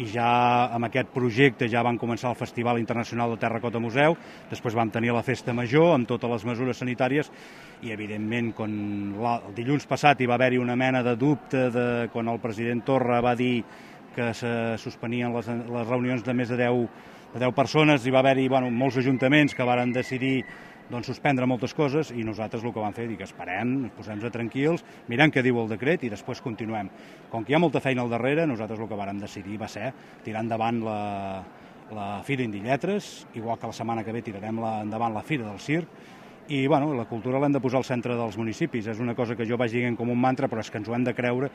i ja amb aquest projecte ja van començar el Festival Internacional de Terracota Museu, després vam tenir la Festa Major amb totes les mesures sanitàries i, evidentment, quan el dilluns passat hi va haver-hi una mena de dubte quan el president Torra va dir que se suspenien les reunions de més de 10 persones, hi va haver-hi molts ajuntaments que varen decidir suspendre moltes coses i nosaltres el que vam fer és dir que esperem, ens posem tranquils, mirem què diu el decret i després continuem. Com que hi ha molta feina al darrere, nosaltres el que vàrem decidir va ser tirar endavant la Fira Indilletres, igual que la setmana que ve tirarem endavant la Fira del Circ, i la cultura l'hem de posar al centre dels municipis. És una cosa que jo vaig dient com un mantra, però és que ens ho hem de creure